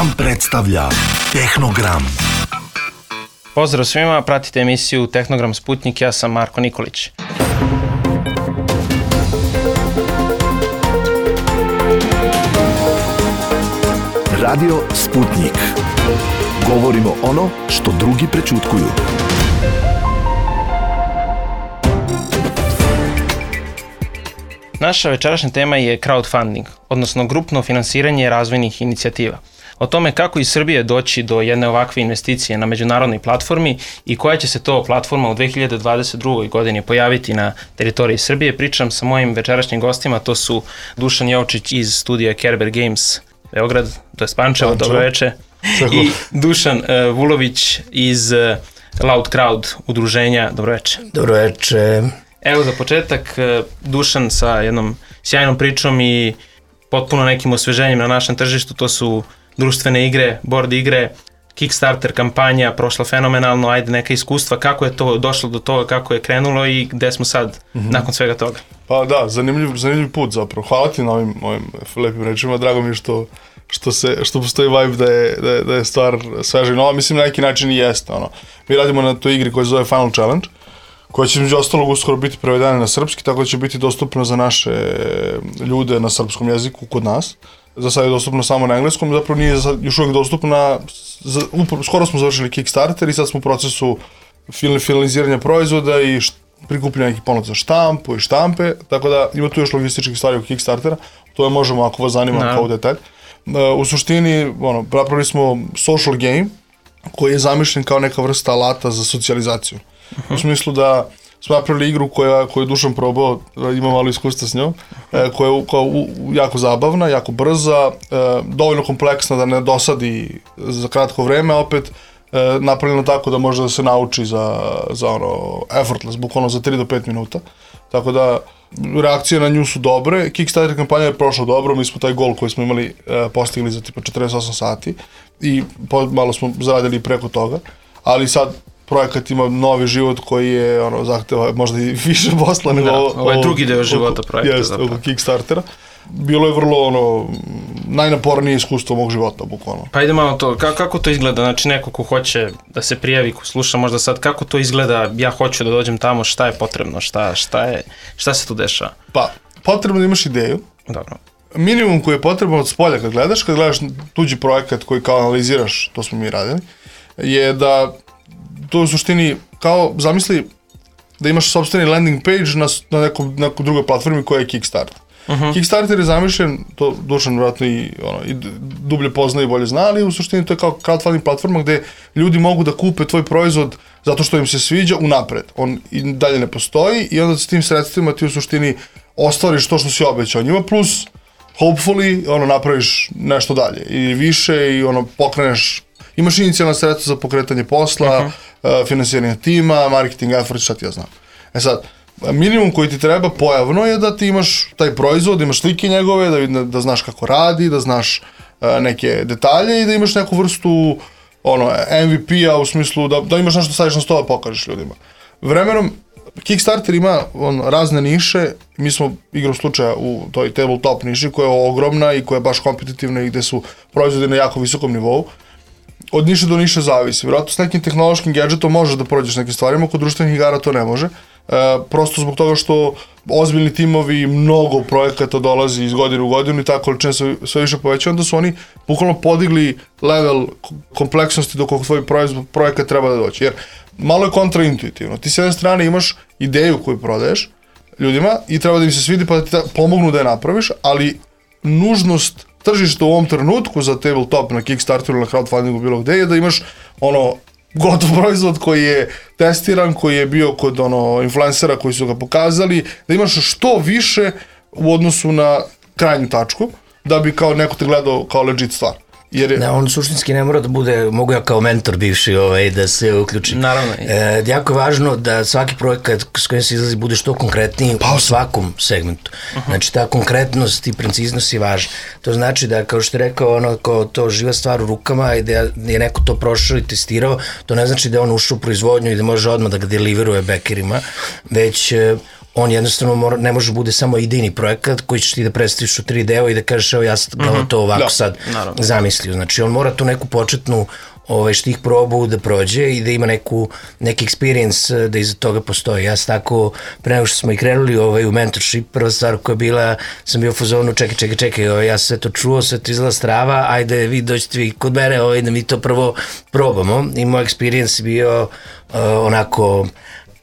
Gram predstavlja Tehnogram. Pozdrav svima, pratite emisiju Tehnogram Sputnik, ja sam Marko Nikolić. Radio Sputnik. Govorimo ono što drugi prećutkuju. Naša večerašnja tema je crowdfunding, odnosno grupno finansiranje razvojnih inicijativa. O tome kako iz Srbije doći do jedne ovakve investicije na međunarodnoj platformi i koja će se to platforma u 2022. godini pojaviti na teritoriji Srbije, pričam sa mojim večerašnjim gostima, to su Dušan Jovčić iz studija Kerber Games Beograd, to je Pančevo, dobro veče, i Dušan Vulović iz Loud Crowd udruženja, dobro veče. Dobro veče. Evo za početak, Dušan sa jednom sjajnom pričom i potpuno nekim osveženjem na našem tržištu, to su društvene igre, board igre, Kickstarter kampanja, prošla fenomenalno, ajde neka iskustva, kako je to došlo do toga, kako je krenulo i gde smo sad nakon svega toga. Pa da, zanimljiv put zapravo. Hvala ti na ovim lepim rečima, drago mi je što postoji vibe da je stvar sveža i nova, mislim na neki način i jeste. Mi radimo na toj igri koja se zove Final Challenge, koja će među ostalog uskoro biti prevedena na srpski, tako da će biti dostupna za naše ljude na srpskom jeziku kod nas. Za sad je dostupno samo na engleskom, zapravo nije još uvijek dostupna, skoro smo završili Kickstarter i sad smo u procesu finaliziranja proizvoda i prikupljanja nekih ponuda za štampu i štampe, tako da ima tu još logističkih stvari u Kickstartera, to je možemo ako vas zanima kao detalj. U suštini, napravili smo social game koji je zamišljen kao neka vrsta alata za socijalizaciju. U smislu da smo napravili igru koju je Dušan probao, ima malo iskustva s njom, koja je jako zabavna, jako brza, dovoljno kompleksna da ne dosadi za kratko vreme, opet napravljeno tako da može da se nauči za effortless, bukvalno za 3 do 5 minuta. Tako da reakcije na nju su dobre, Kickstarter kampanja je prošla dobro, mi smo taj gol koji smo imali postigli za tipa 48 sati i malo smo zaradili preko toga, ali sad projekat ima novi život koji je zahteva možda i više posla nego ovo je drugi deo života projekta. Jeste, oko Kickstartera. Bilo je vrlo najnapornije iskustvo mog života, bukvalno. Pa ide malo to, kako to izgleda, znači neko ko hoće da se prijavi, ko sluša možda sad, kako to izgleda, ja hoću da dođem tamo, šta je potrebno, šta se tu dešava? Pa, potrebno da imaš ideju. Dobro. Minimum koji je potrebno od spolja kad gledaš tuđi projekat koji kao analiziraš, to smo mi radili, je da to u suštini kao, zamisli da imaš sopstveni landing page na nekoj drugoj platformi koja je Kickstarter. Kickstarter je zamišljen, to Dušan vjerojatno i dublje pozna i bolje zna, ali u suštini to je kao crowdfunding platforma gde ljudi mogu da kupe tvoj proizvod zato što im se sviđa unapred. On i dalje ne postoji i onda s tim sredstvima ti u suštini ostvariš to što si obećao njima, plus hopefully napraviš nešto dalje i više i pokreneš. Imaš inicijalna sredstva za pokretanje posla, finansiranje tima, marketing effort, šta ti ja znam. Sad, minimum koji ti treba pojavno je da ti imaš taj proizvod, imaš slike njegove, da znaš kako radi, da znaš neke detalje i da imaš neku vrstu MVP-a u smislu da imaš nešto staviš na stol da pokažeš ljudima. Vremenom, Kickstarter ima razne niše, mi smo igrom slučaja u toj tabletop niši koja je ogromna i koja je baš kompetitivna i gde su proizvodi na jako visokom nivou. Od niše do niše zavisi. Vjerojatno s nekim tehnološkim gadgetom možeš da prođeš nekim stvarima, kod društvenih igara to ne može. Prosto zbog toga što ozbiljni timovi, mnogo projekata dolazi iz godine u godinu i ta količina se sve više poveća, onda su oni bukvalno podigli level kompleksnosti do kog tvoj projekat treba da doći. Jer malo je kontraintuitivno. Ti s jedne strane imaš ideju koju prodaješ ljudima i treba da im se svidi pa da ti pomognu da je napraviš, ali nužnost tržište u ovom trenutku za tabletop na Kickstarteru, na crowdfundingu, bilo gde je da imaš gotov proizvod koji je testiran, koji je bio kod influencera koji su ga pokazali, da imaš što više u odnosu na krajnju tačku, da bi kao neko te gledao kao legit stvar. Ne, on suštinski ne mora da bude, mogu ja kao mentor bivši da se uključim. Naravno. Jako je važno da svaki projekat s kojim se izlazi bude što konkretniji u svakom segmentu. Znači ta konkretnost i preciznost je važna. To znači da, kao što je rekao, kao to živa stvar u rukama i da je neko to prošao i testirao, to ne znači da je on ušao u proizvodnju i da može odmah da ga deliveruje bekerima, već on jednostavno ne može bude samo idejni projekat koji ćeš ti da predstaviš u 3D-u i da kažeš evo ja sam to ovako sad zamislio. Znači on mora tu neku početnu štih probu da prođe i da ima neki experience da iza toga postoji. Ja sam tako, pre nego što smo i krenuli u mentorship, prva stvar koja je bila, sam bio u fazonu, čekaj, ja sam sve to čuo, sve to izgleda strava, ajde vi dođete vi kod mene da mi to prvo probamo. I moj experience bio onako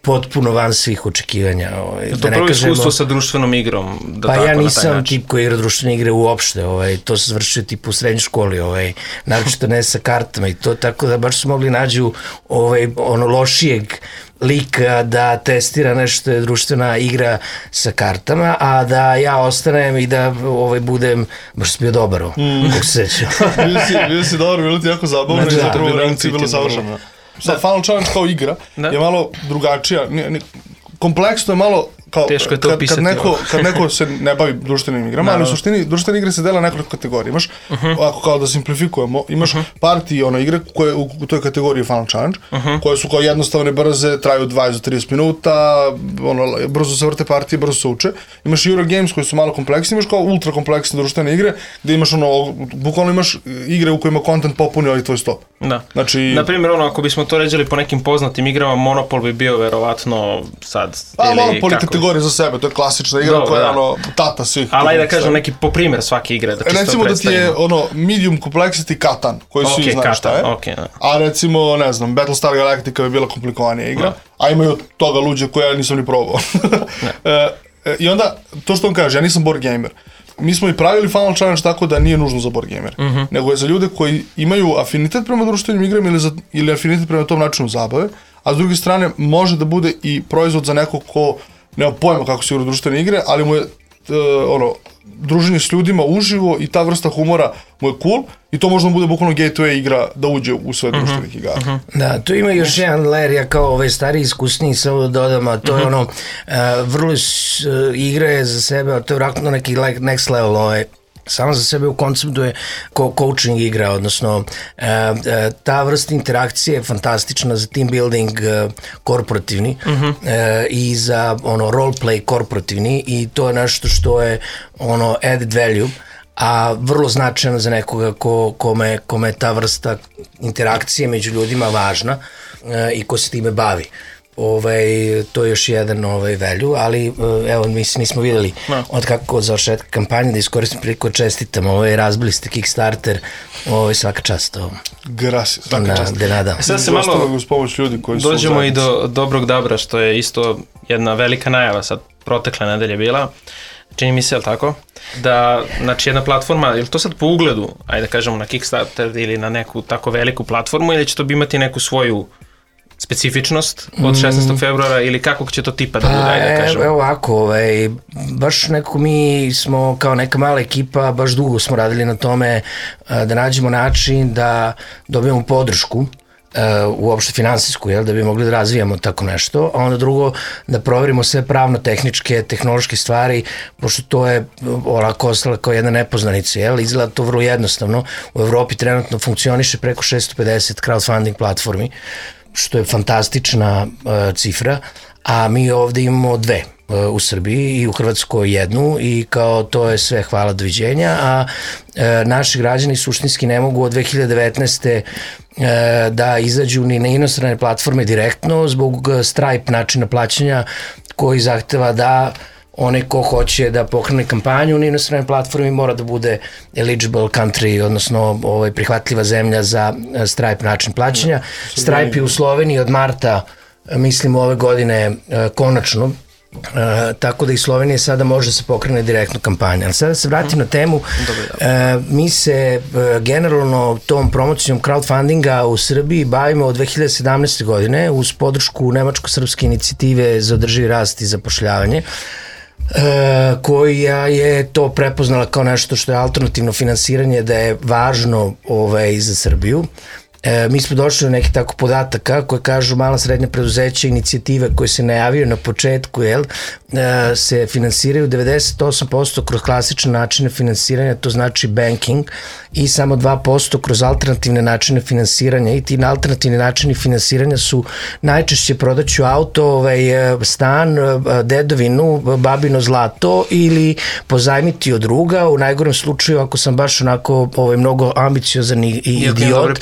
potpuno van svih očekivanja. Je to prvo iskustvo sa društvenom igrom? Pa ja nisam tip koji igra društvene igre uopšte, to se završio tip u srednjoj školi, naročito ne sa kartama i to, tako da baš su mogli nađu lošijeg lika da testira nešto je društvena igra sa kartama, a da ja ostanem i da budem, baš sam bio dobar, kako se sećam. Bio si dobar, bilo ti jako zabavno i zapravo reakcija bilo savršeno. Sad, Final Challenge kao igra je malo drugačija, kompleksno je malo kao teško je to opisati. Kad neko se ne bavi društvenim igrama, ali u suštini društvene igre se dela nekoliko kategorija. Imaš, ako kao da simplifikujemo, imaš party igre koje u toj kategoriji Final Challenge, koje su kao jednostavne, brze, traju 20 do 30 minuta, brzo se vrte partije, brzo se uče. Imaš Eurogames koji su malo kompleksni, imaš kao ultra kompleksne društvene igre, gde imaš bukvalno imaš igre u kojima content popuni tvoj sto. Da. Znači, naprimjer, ako bismo to ređali po nekim poznatim igrama, Monopol bi bio verovatno sad, Monopol je kategorija za sebe, to je klasična igra koja je tata svih. Ali da kažem neki po primjer svake igre. Recimo da ti je medium complexity Catan, koji svi znaju šta je. A recimo, ne znam, Battlestar Galactica bi bila komplikovanija igra, a imaju od toga luđe koje ja nisam ni probao. I onda, to što on kaže, ja nisam board gamer. Mi smo i pravili Final Challenge tako da nije nužno za board gamer, nego je za ljude koji imaju afinitet prema društvenim igrama ili afinitet prema tom načinu zabave, a s druge strane može da bude i proizvod za nekog ko nema pojma kako se igra društvene igre, ali mu je druženje s ljudima uživo i ta vrsta humora mu je cool i to možda bude bukvalno gateway igra da uđe u sve društvenih igara. Da, tu ima još jedan layer, ja kao stariji iskusniji samo da dodam, a to je vrlo igre za sebe, a to je vratno neki next level, samo za sebe u konceptu je coaching igra, odnosno ta vrsta interakcije je fantastična za team building korporativni i za roleplay korporativni i to je nešto što je added value, a vrlo značajno za nekoga kome je ta vrsta interakcije među ljudima važna i ko se time bavi. To je još jedan value, ali evo mi smo videli od kako završetka kampanje da iskoristim priliku čestitam, razbili ste Kickstarter, svaka čast. Gracias, svaka čast. Sad se malo dođemo i do Dobrog Dabra, što je isto jedna velika najava sad protekle nedelje bila. Čini mi se, je li tako? Da, znači jedna platforma, je li to sad po ugledu, ajde da kažemo na Kickstarter ili na neku tako veliku platformu ili će to imati neku svoju specifičnost od 16. februara ili kakvog će to tipa da bude, ajde da kažemo? Evo ovako, baš nekako mi smo kao neka mala ekipa, baš dugo smo radili na tome da nađemo način da dobijemo podršku uopšte finansijsku, da bi mogli da razvijamo tako nešto, a onda drugo da proverimo sve pravno-tehničke, tehnološke stvari, pošto to je olako ostala kao jedna nepoznanica, izgleda to vrlo jednostavno. U Evropi trenutno funkcioniše preko 650 crowdfunding platformi, što je fantastična cifra, a mi ovde imamo dve u Srbiji i u Hrvatskoj jednu i kao to je sve hvala doviđenja, a naši građani suštinski ne mogu od 2019. Da izađu ni na inostrane platforme direktno zbog Stripe načina plaćanja koji zahteva da onaj ko hoće da pokrene kampanju na inostranoj platformi mora da bude eligible country, odnosno prihvatljiva zemlja za Stripe način plaćanja. Stripe je u Sloveniji od marta, mislim ove godine, konačno, tako da i Slovenija sada može se pokrene direktno kampanja. Ali sada se vratim na temu, mi se generalno tom promocijom crowdfundinga u Srbiji bavimo od 2017. godine uz podršku Nemačko-srpske inicijative za održivi rast i zapošljavanje, koja je to prepoznala kao nešto što je alternativno finansiranje, da je važno za Srbiju mi smo došli do nekih tako podataka koje kažu mala srednja preduzeća, inicijative koje se najavio na početku, se finansiraju 98% kroz klasične načine finansiranja, to znači banking, i samo 2% kroz alternativne načine finansiranja, i ti alternativni načini finansiranja su najčešće prodaću auto, stan, dedovinu, babino zlato ili pozajmiti od druga. U najgorem slučaju, ako sam baš onako mnogo ambiciozan i idiot,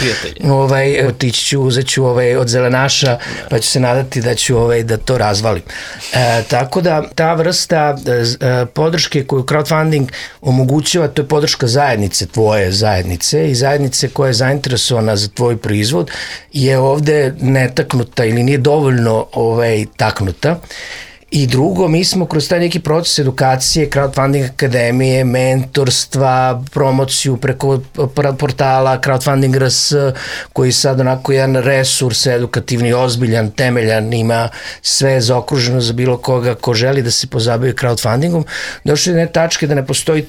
otići ću, uzet ću od zelenaša, pa ću se nadati da ću da to razvalim. Tako da ta vrsta podrške koju crowdfunding omogućava, to je podrška zajednice, tvoje zajednice i zajednice koja je zainteresovana za tvoj proizvod, je ovde netaknuta ili nije dovoljno taknuta. I drugo, mi smo kroz taj neki proces edukacije, crowdfunding akademije, mentorstva, promociju preko portala Crowdfunding RS, koji sad onako jedan resurs edukativni, ozbiljan, temeljan, ima sve zaokruženo za bilo koga ko želi da se pozabavi crowdfundingom, došli do jedne tačke da ne postoji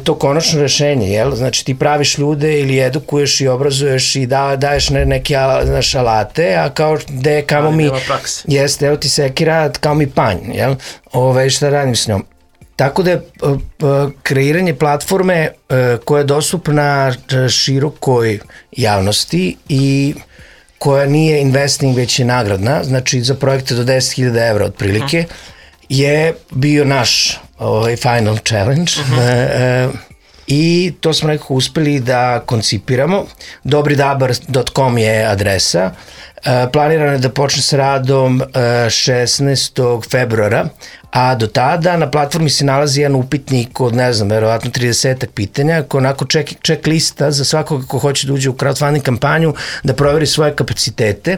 to konačno rešenje, znači ti praviš ljude ili edukuješ i obrazuješ i daješ neke alate, a kao gde kamo mi, jeste, evo ti sekira, kao mi panj, šta radim s njom. Tako da je kreiranje platforme koja je dostupna širokoj javnosti i koja nije investing, već je nagradna, znači za projekte do 10.000 evra otprilike, je bio naš final challenge i to smo nekako uspeli da koncipiramo. Dobridabar.com je adresa. Planirano je da počne sa radom 16. februara, a do tada na platformi se nalazi jedan upitnik od, verovatno 30 pitanja, koja onako check lista za svakoga ko hoće da uđe u crowdfunding kampanju, da proveri svoje kapacitete,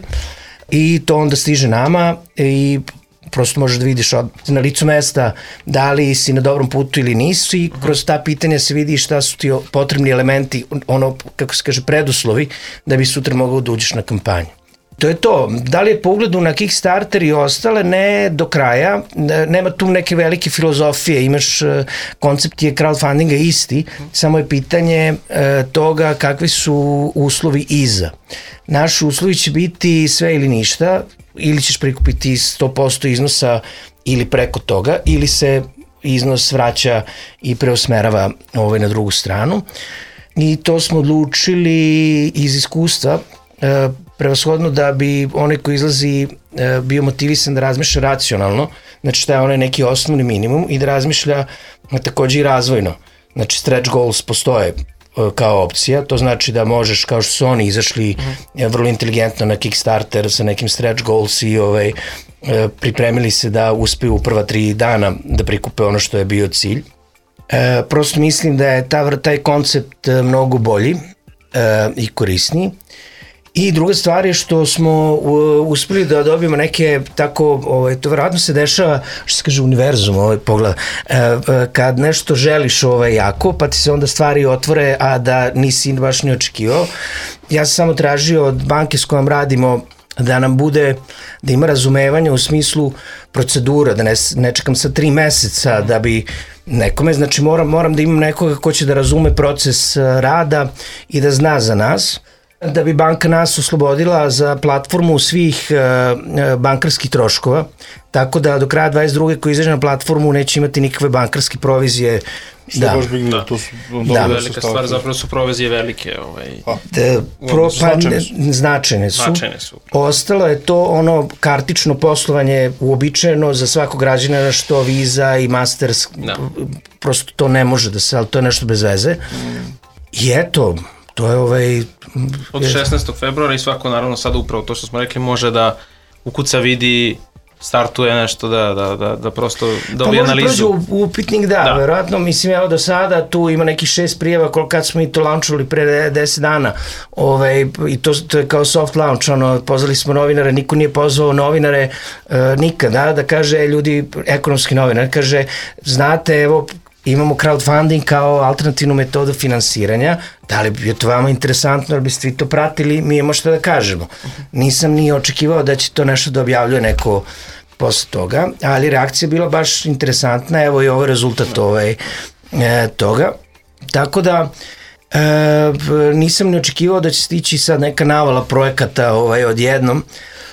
i to onda stiže nama i prosto možeš da vidiš na licu mesta da li si na dobrom putu ili nisi, i kroz ta pitanja se vidi šta su ti potrebni elementi, kako se kaže, preduslovi da bi sutra mogao da uđeš na kampanju. To je to. Da li je po ugledu na Kickstarter i ostale? Ne do kraja. Nema tu neke velike filozofije. Imaš, koncept je crowdfundinga isti, samo je pitanje toga kakvi su uslovi iza. Naši uslovi će biti sve ili ništa, ili ćeš prikupiti 100% iznosa ili preko toga, ili se iznos vraća i preusmerava na drugu stranu. I to smo odlučili iz iskustva, prevashodno da bi onaj ko izlazi bio motivisan da razmišlja racionalno, znači šta je onaj neki osnovni minimum, i da razmišlja takođe i razvojno. Znači stretch goals postoje kao opcija, to znači da možeš, kao što su oni izašli vrlo inteligentno na Kickstarter sa nekim stretch goals i pripremili se da uspeju u prva 3 dana da prikupe ono što je bio cilj. Prosto mislim da je taj koncept mnogo bolji i korisniji. I druga stvar je što smo uspeli da dobijemo neke tako, to verovatno se dešava, što se kaže univerzum, pogleda, kad nešto želiš jako, pa ti se onda stvari otvore, a da nisi baš ni očekivao. Ja sam samo tražio od banke s kojom radimo da nam bude, da ima razumevanja u smislu procedura, da ne čekam sa 3 meseca da bi nekome, znači moram da imam nekoga ko će da razume proces rada i da zna za nas, da bi banka nas oslobodila za platformu svih bankarskih troškova, tako da do kraja 22. koji izađe na platformu neće imati nikakve bankarske provizije. Što je baš big deal, to su velika stvar, zapravo su provizije velike. Značajne su. Ostalo je to kartično poslovanje uobičajeno za svakog građana, što Visa i Masters, prosto to ne može da se, ali to je nešto bez veze. I eto, to je od 16. februara i svako naravno sada upravo to što smo rekli može da ukuca, vidi, startuje nešto, da prosto dobije analizu. Pa može prođe upitnik, verovatno, mislim, evo do sada tu ima nekih 6 prijava kad smo i to launchovali pre 10 dana, i to je kao soft launch, pozvali smo novinare, niko nije pozvao novinare nikada, da kaže, ljudi, ekonomski novinar, kaže, znate, evo, imamo crowdfunding kao alternativnu metodu finansiranja, da li je to vama interesantno, ali biste vi to pratili, mi imamo što da kažemo. Nisam ni očekivao da će to nešto da objavljuje neko posle toga, ali reakcija je bila baš interesantna, evo i ovo rezultat toga. Tako da, Nisam ne očekivao da će stići sad neka navala projekata odjednom.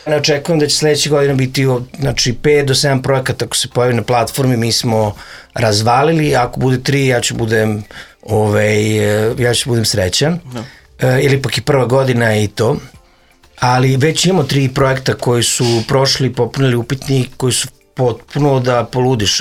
Ne očekujem da će sledeće godine biti 5 do 7 projekata ako se pojavi na platformi. Mi smo razvalili, ako bude 3 ja ću budem srećan. Ili pak i prva godina i to. Ali već imamo 3 projekta koji su prošli, popunili upitnik, koji su potpuno da poludiš,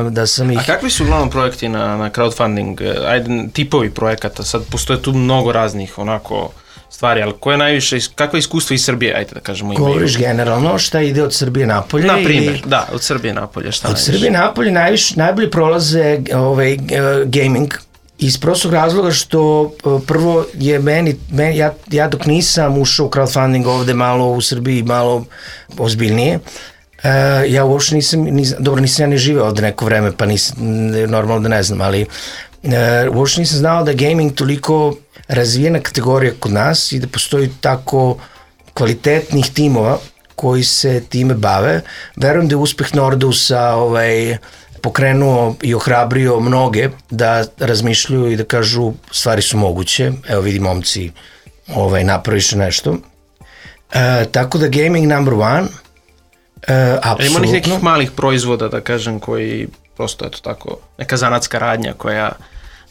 da sam ih... A kakvi su uglavnom projekti na crowdfunding? Ajde, tipovi projekata, sad postoje tu mnogo raznih onako stvari, ali koje najviše, kakva iskustva iz Srbije, ajde da kažemo imaju? Govoriš generalno šta ide od Srbije napolje? Na primjer, da, od Srbije napolje, šta najviše? Od Srbije napolje najbolje prolaze gaming, iz prostog razloga što prvo je ja dok nisam ušao u crowdfunding ovde malo u Srbiji, malo ozbiljnije, ja uopšte nisam ja ni živeo ovde neko vreme, pa nisam, normalno da ne znam, ali uopšte nisam znao da je gaming toliko razvijena kategorija kod nas i da postoji tako kvalitetnih timova koji se time bave. Verujem da je uspeh Nordusa pokrenuo i ohrabrio mnoge da razmišljaju i da kažu stvari su moguće. Evo vidi momci napraviše nešto. Tako da gaming number one, apsolutno. Ima nekih malih proizvoda, da kažem, koji prosto eto tako, neka zanatska radnja koja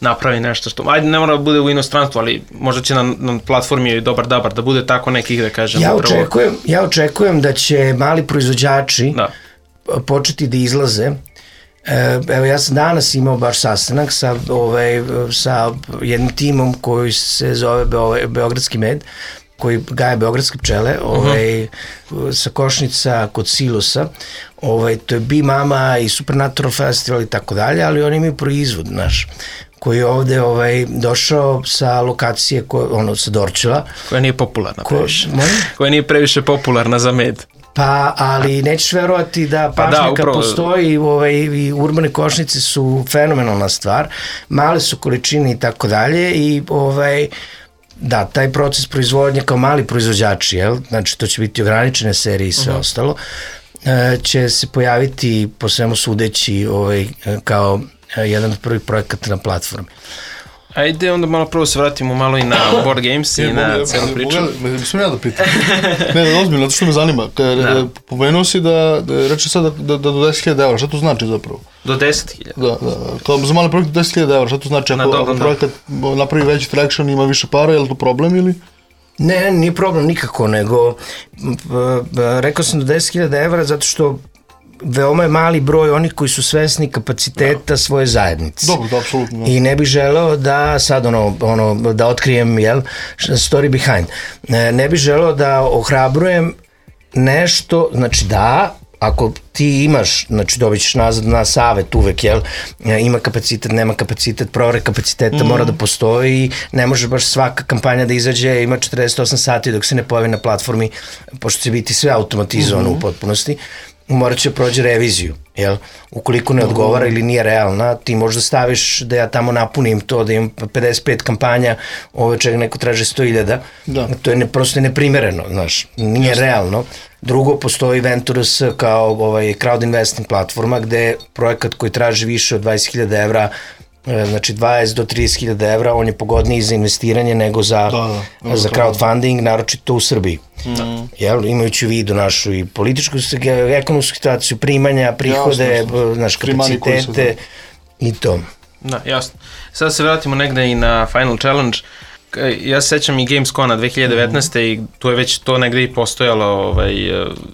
napravi nešto što, ajde ne mora da bude u inostranstvu, ali možda će na platformi dobar da bude tako nekih, da kažem. Ja očekujem da će mali proizvođači početi da izlaze. Evo ja sam danas imao baš sastanak sa jednim timom koji se zove Beogradski med, koji gaje beogradske pčele, sa Košnica kod Silosa, to je Bee Mama i Supernatural Festival i tako dalje, ali oni imaju proizvod naš, koji je ovde došao sa lokacije, sa Dorčela. Koja nije popularna previše. Koja nije previše popularna za med. Pa, ali nećeš verovati da pašnjaka postoji i urbane košnice su fenomenalna stvar, male su količine i tako dalje i da, taj proces proizvodnje kao mali proizvođači, znači to će biti ograničene serije i sve ostalo, će se pojaviti po svemu sudeći kao jedan od prvih projekata na platformi. Ajde onda malo prvo se vratimo malo i na board games i na celu priču. Mislim ja da pitam. Ne, ozbiljno, to što me zanima. Pomenuo si da reče sad da do 10.000 evra, šta to znači zapravo? Do 10.000? Da. Kao za mali projekt do 10.000 evra, šta to znači? Ako projekat napravi veći traction, ima više para, je li to problem ili? Ne, nije problem nikako, nego rekao sam do 10.000 evra zato što veoma je mali broj onih koji su svesni kapaciteta svoje zajednice. Dobro, da, apsolutno. I ne bih želeo da sad da otkrijem, story behind. Ne bih želeo da ohrabrujem nešto, znači da, ako ti imaš, znači dobit ćeš nazad na savet uvek, ima kapacitet, nema kapacitet, provere kapaciteta mora da postoji, ne može baš svaka kampanja da izađe, ima 48 sati dok se ne pojavi na platformi, pošto će biti sve automatizovano u potpunosti, morat će prođe reviziju, ukoliko ne odgovara ili nije realna, ti možda staviš da ja tamo napunim to, da imam 55 kampanja, čega neko traže 100.000, to je prosto neprimereno, znaš, nije realno. Drugo, postoji Ventures kao crowd investing platforma gde projekat koji traži više od 20.000 evra, znači 20 do 30.000 evra, on je pogodniji za investiranje nego za crowdfunding, naročito u Srbiji. Imajući u vidu našu i političku, ekonomsku situaciju, primanja, prihode, naš kapacitete i to. Da, jasno. Sada se vratimo negde i na Final Challenge. Ja se sećam i Gamescona 2019. i tu je već to negde i postojalo.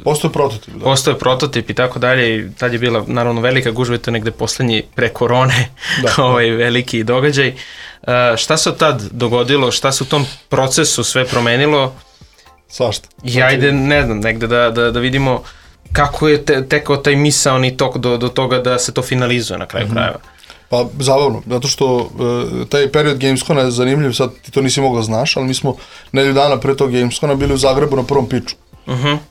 Postoje prototip. Postoje prototip i tako dalje i tad je bila naravno velika gužva, to je negde poslednji pre korone veliki događaj. Šta se od tad dogodilo, šta se u tom procesu sve promenilo? Svašta. I ajde, ne znam, negde da vidimo kako je tekao taj misaoni tok do toga da se to finalizuje na kraju krajeva. Pa zabavno, zato što taj period Gamescona je zanimljiv, sad ti to nisi mogla znaš, ali mi smo nedelju dana pre tog Gamescona bili u Zagrebu na prvom pitchu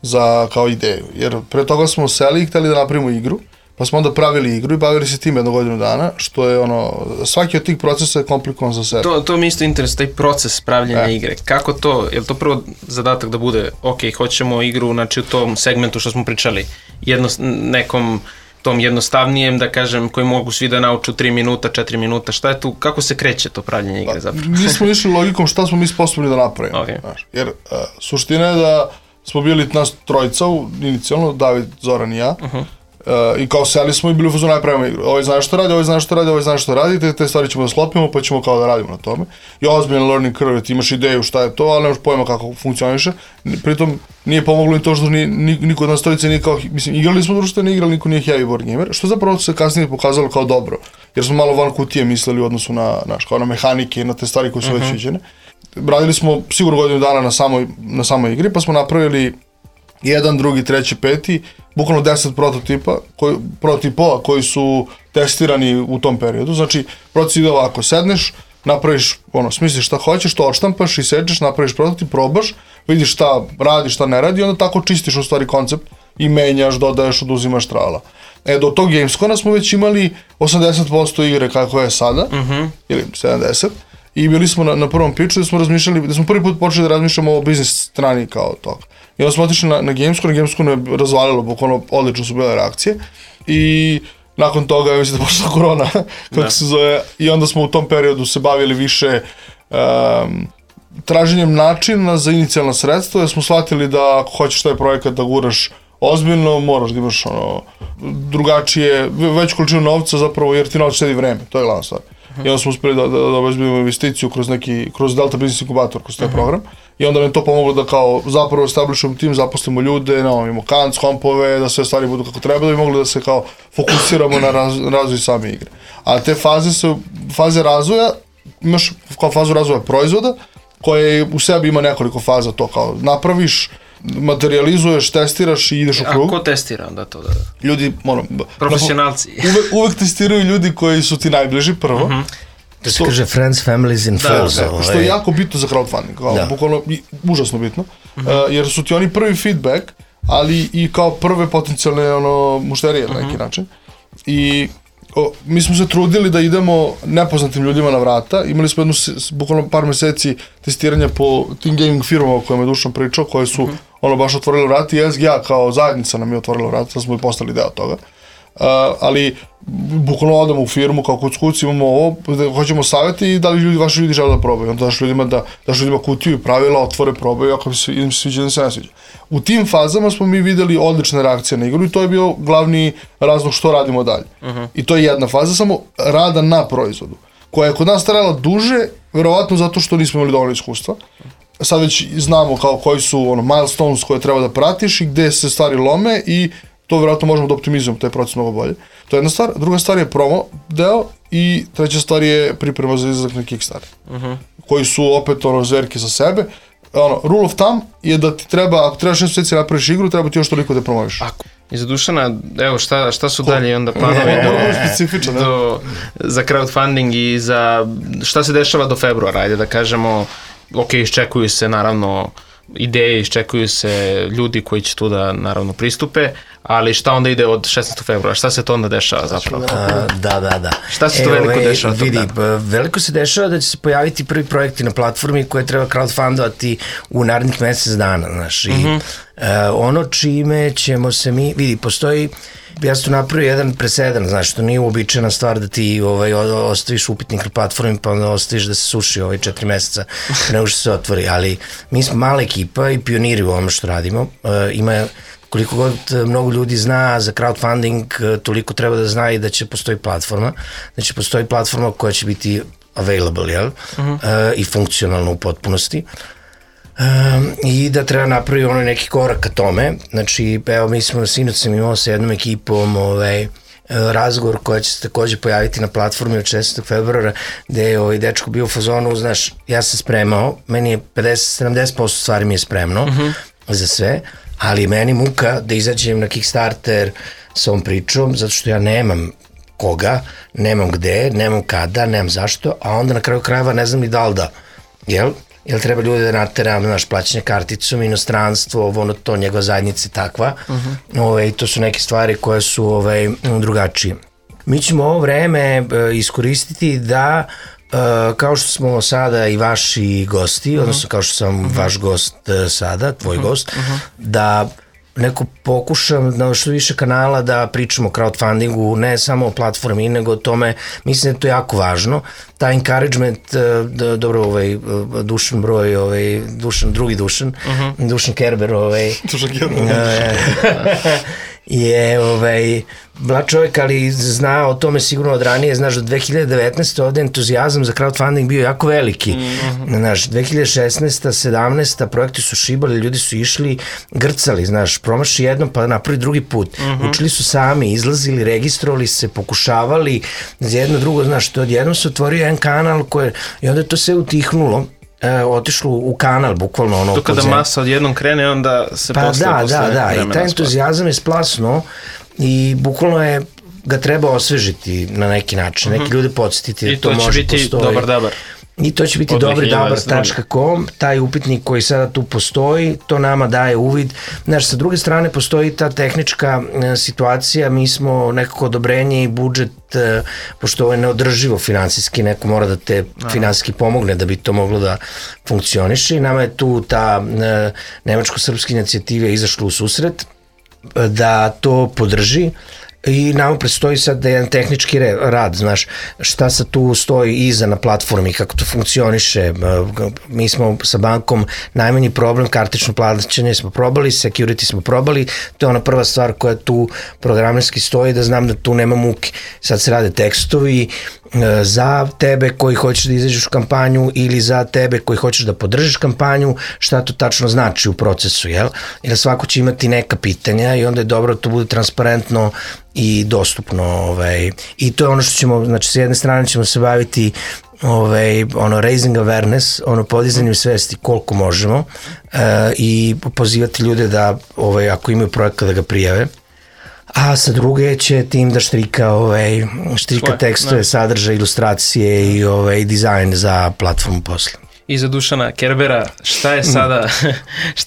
za kao ideju, jer pre toga smo seli i hteli da napravimo igru, pa smo onda pravili igru i bavili se tim 1 godinu dana, što je svaki od tih procesa je komplikovan za sebe. To mi isto interesuje, taj proces pravljenja igre, kako to, je li to prvo zadatak da bude, ok, hoćemo igru, znači u tom segmentu što smo pričali, nekom tom jednostavnijem, da kažem, koji mogu svi da nauču 3 minuta, 4 minuta, šta je tu, kako se kreće to pravljenje igre zapravo? Mi smo išli logikom šta smo mi sposobni da napravimo. Okay. Jer suština je da smo bili nas trojica, inicijalno, David, Zoran i ja, i kao seli smo i bili u fazonu najpravimo igru. Ovaj zna što radi, ovaj zna što radi, ovaj zna što radi, te stvari ćemo da sklopimo, pa ćemo kao da radimo na tome. I ozbiljan learning curve, ti imaš ideju šta je to, ali nemaš pojma kako funkcioniše. Pritom nije pomoglo ni to što niko od nas trojice nije kao, mislim, igrali smo društvene igre, ali niko nije heavy board gamer, što zapravo se kasnije pokazalo kao dobro, jer smo malo van kutije mislili u odnosu kao na mehanike i na te stvari koje su već viđene. Radili smo sigurno godinu dana na samoj igri, pa smo napravili 1, 2, 3, 5, bukvalno 10 prototipova koji su testirani u tom periodu. Znači, proces ide ovako, sedneš, napraviš, smisliš šta hoćeš, to odštampaš i sečeš, napraviš prototip, probaš, vidiš šta radi, šta ne radi i onda tako čistiš u stvari koncept i menjaš, dodaješ, oduzimaš trala. Do tog Gamescona smo već imali 80% igre kako je sada, ili 70%. I bili smo na prvom pitchu da smo razmišljali, da smo prvi put počeli da razmišljamo o biznis strani kao toga. I onda smo otišli na Gamescom je razvalilo, bukvalno odlično su bile reakcije. I nakon toga, ja mislim da počela korona, kako se zove, i onda smo u tom periodu se bavili više traženjem načina za inicijalna sredstva, jer smo shvatili da ako hoćeš taj projekat da guraš ozbiljno, moraš da imaš drugačije, veću količinu novca zapravo, jer ti novac štedi vreme, to je glavna stvar. I onda smo uspeli da obezbedimo investiciju kroz Delta Business Incubator, kroz taj program. I onda nam to pomoglo da kao zapravo establishujemo tim, zaposlimo ljude, imamo kanc, kompove, da sve stvari budu kako treba, da bi mogli da se kao fokusiramo na razvoj same igre. A te faze razvoja, imaš kao fazu razvoja proizvoda, koje u sebi ima nekoliko faza, to kao napraviš, materializuješ, testiraš i ideš u krug. A ko testira onda to? Ljudi, profesionalci. Uvek testiraju ljudi koji su ti najbliži prvo. To se kaže friends, families and foes. Što je jako bitno za crowdfunding, bukvalno užasno bitno, jer su ti oni prvi feedback, ali i kao prve potencijalne mušterije na neki način. I mi smo se trudili da idemo nepoznatim ljudima na vrata, imali smo bukvalno par meseci testiranja po tim gaming firmama o kojima je Dušan pričao, koje su baš otvorili vrata i SGA kao zajednica nam je otvorila vrata, da smo i postali deo toga. Ali bukvalno odemo u firmu kao kuc, imamo ovo, hoćemo savjeti i da li vaši ljudi žele da probaju. Onda daš ljudima kutiju i pravila, otvore, probaju, ako im se sviđa, da se ne sviđa. U tim fazama smo mi videli odlične reakcije na igru i to je bio glavni razlog što radimo dalje. I to je jedna faza, samo rada na proizvodu, koja je kod nas trajala duže, verovatno zato što nismo imali dovoljno iskustva. Sad već znamo kao koji su milestones koje treba da pratiš i gde se stvari lome i to vjerojatno možemo da optimizujemo taj proces mnogo bolje. To je jedna stvar. Druga stvar je promo deo i treća stvar je priprema za izlazak na Kickstarter. Koji su opet zverke za sebe. Rule of thumb je da ti treba, ako trebaš 6 mjeseci napraviš igru, treba ti još toliko da promoviš. I za Dušana, evo šta su dalje onda planovi za crowdfunding i za šta se dešava do februara, ajde da kažemo, ok, iščekuju se naravno ideje, iščekuju se ljudi koji će tu da naravno pristupe, ali šta onda ide od 16. februara, šta se to onda dešava zapravo? Da. Šta se to veliko dešava? Vidi, veliko se dešava da će se pojaviti prvi projekti na platformi koje treba crowdfundovati u narednih mesec dana, znaš, i ono čime ćemo se mi, vidi, postoji, ja sam tu napravio jedan presedan, znaš, to nije uobičajena stvar da ti ostaviš upitnik na platformi pa onda ostaviš da se suši 4 meseca nego što se otvori, ali mi smo mala ekipa i pioniri u ovome što radimo, ima koliko god mnogo ljudi zna za crowdfunding, toliko treba da zna i da će postoji platforma, znači postoji platforma koja će biti available, jel? I funkcionalna u potpunosti. I da treba napraviti neki korak ka tome, znači evo mi smo sinoć sam imao sa jednom ekipom razgovor koja će se takođe pojaviti na platformi od 16. februara gde je dečko bio u fazonu, znaš, ja sam spremao, meni je 50-70% stvari mi je spremno za sve, ali meni muka da izađem na Kickstarter sa ovom pričom, zato što ja nemam koga, nemam gde, nemam kada, nemam zašto, a onda na kraju krajeva ne znam ni da li da, jel treba ljude da nateram, znaš, plaćanje karticom, inostranstvo, to, njegova zajednica je takva, i to su neke stvari koje su drugačije. Mi ćemo ovo vreme iskoristiti da, kao što smo sada i vaši gosti, odnosno kao što sam vaš gost sada, tvoj gost, da neko pokušam na što više kanala da pričamo o crowdfundingu, ne samo o platformi, nego o tome, mislim da je to jako važno. Ta encouragement, dobro, Dušan broj, drugi Dušan, Dušan Kerber, Dušan Kerber, je mlad čovjek, ali zna o tome sigurno od ranije. Znaš, do 2019. ovde entuzijazam za crowdfunding bio jako veliki. Znaš, 2016. 17. projekti su šibali, ljudi su išli, grcali, znaš, promaši jednom pa napravi drugi put. Učili su sami, izlazili, registrovali se, pokušavali za jedno drugo, znaš, to odjednom se otvorio jedan kanal i onda je to sve utihnulo. Otišlo u kanal, bukvalno ono... To kada masa odjednom krene, onda se posle i taj entuzijazam je splasno i bukvalno ga treba osvežiti na neki način, neki ljude podsjetiti da to može postoji. I to će biti dobar. I to će biti dobridabar.com, taj upitnik koji sada tu postoji, to nama daje uvid. Znaš, sa druge strane postoji ta tehnička situacija, mi smo nekako odobrenje i budžet, pošto ovo je neodrživo finansijski, neko mora da te finansijski pomogne da bi to moglo da funkcioniše i nama je tu ta nemačko-srpska inicijativa izašla u susret da to podrži. I nama predstoji sad da je jedan tehnički rad, znaš, šta sad tu stoji iza na platformi, kako to funkcioniše. Mi smo sa bankom najmanji problem, kartično plaćanje smo probali, security smo probali, to je ona prva stvar koja tu programerski stoji, da znam da tu nema muke. Sad se rade tekstovi za tebe koji hoćeš da izađeš u kampanju ili za tebe koji hoćeš da podržiš kampanju, šta to tačno znači u procesu, jel? Jer svako će imati neka pitanja i onda je dobro da to bude transparentno i dostupno. I to je ono što ćemo, znači s jedne strane ćemo se baviti raising awareness, podizanjem svesti koliko možemo i pozivati ljude da ako imaju projekat da ga prijave. A sa druge će tim da štrika tekstove, sadržaje, ilustracije i dizajn za platformu posle. I za Dušana Kerbera, šta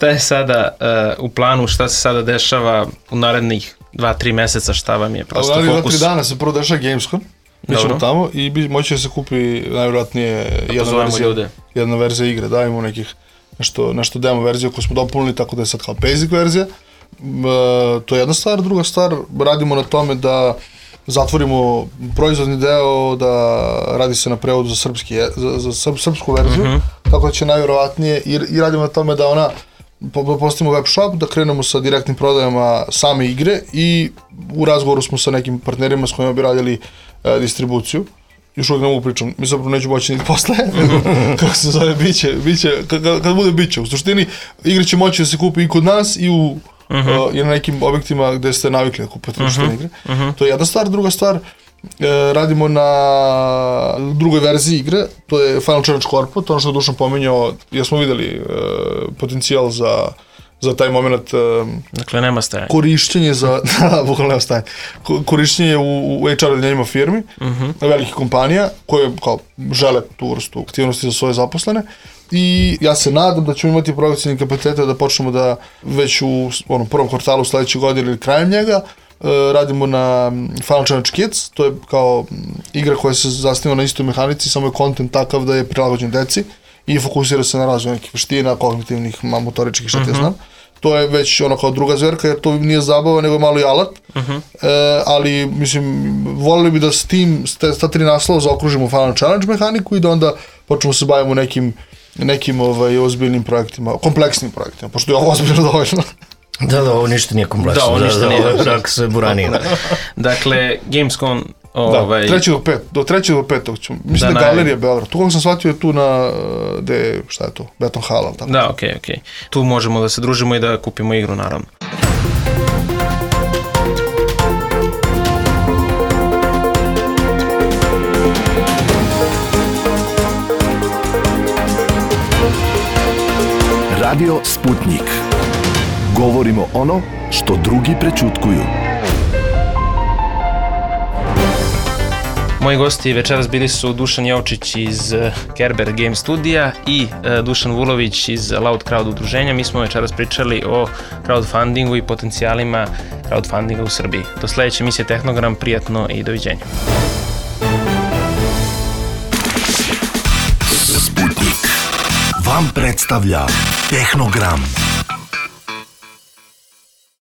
je sada u planu, šta se sada dešava u narednih 2-3 meseca, šta vam je prosto fokus? Ali 2-3 dana se prvo dešava Gamescom, mi ćemo tamo i moći da se kupi najvjerojatnije jedna verzija igre, dajemo nekih nešto demo verziju koju smo dopunili, tako da je sad kao basic verzija. To je jedna stvar, druga stvar, radimo na tome da zatvorimo proizvodni deo, da radi se na prevodu za srpsku verziju, tako da će najvjerovatnije i radimo na tome da ona postavimo web shop, da krenemo sa direktnim prodajama same igre i u razgovoru smo sa nekim partnerima s kojima bi radili distribuciju. Još uvijek ne mogu pričam, mi zapravo neću moći niti posle, kako se zove, biće, kad bude biće. U suštini, igre će moći da se kupi i kod nas i i na nekim objektima gde ste navikli da kupate društvene igre. To je jedna stvar. Druga stvar, radimo na drugoj verziji igre, to je Final Challenge Corpo, to ono što je Dušan pominjao, jer smo videli potencijal za taj moment. Dakle, nema stajanja. Korišćenje bukvalno nema stajanja. Korišćenje u HR odjeljenjima firmi, velikih kompanija, koje kao žele tu vrstu aktivnosti za svoje zaposlene. I ja se nadam da ćemo imati projekcijni kapacitete da počnemo da već u prvom kvartalu sledeće godine ili krajem njega radimo na Final Challenge Kids, to je kao igra koja se zasniva na istoj mehanici, samo je kontent takav da je prilagođen deci i fokusira se na razvoj nekih veština, kognitivnih, motoričkih, šta ti znam. To je već kao druga zverka, jer to nije zabava, nego je malo i alat. Ali, mislim, volili bi da s tim, s ta 3 naslova zaokružimo Final Challenge mehaniku i da onda počnemo se bavimo nekim ozbiljnim projektima, kompleksnim projektima, pošto je ovo ozbiljno dovoljno. Da, ovo ništa nije kompleksno. Da, ovo ništa nije. Tako se buranina. Dakle, Gamescom... Do 3. do 5. ćemo. Mislim da je Galerija Beograd. Tu kako sam shvatio je tu na, šta je to, Beton Hala. Da, okej. Tu možemo da se družimo i da kupimo igru, naravno. Radio Sputnik. Govorimo ono što drugi prećutkuju. Moji gosti večeras bili su Dušan Jovčić iz Kerber Game Studija i Dušan Vulović iz Loud Crowd udruženja. Mi smo večeras pričali o crowdfundingu i potencijalima crowdfundinga u Srbiji. Do sledeće emisije Tehnogram, prijatno i doviđenja. Sputnik vam predstavlja Tehnogram.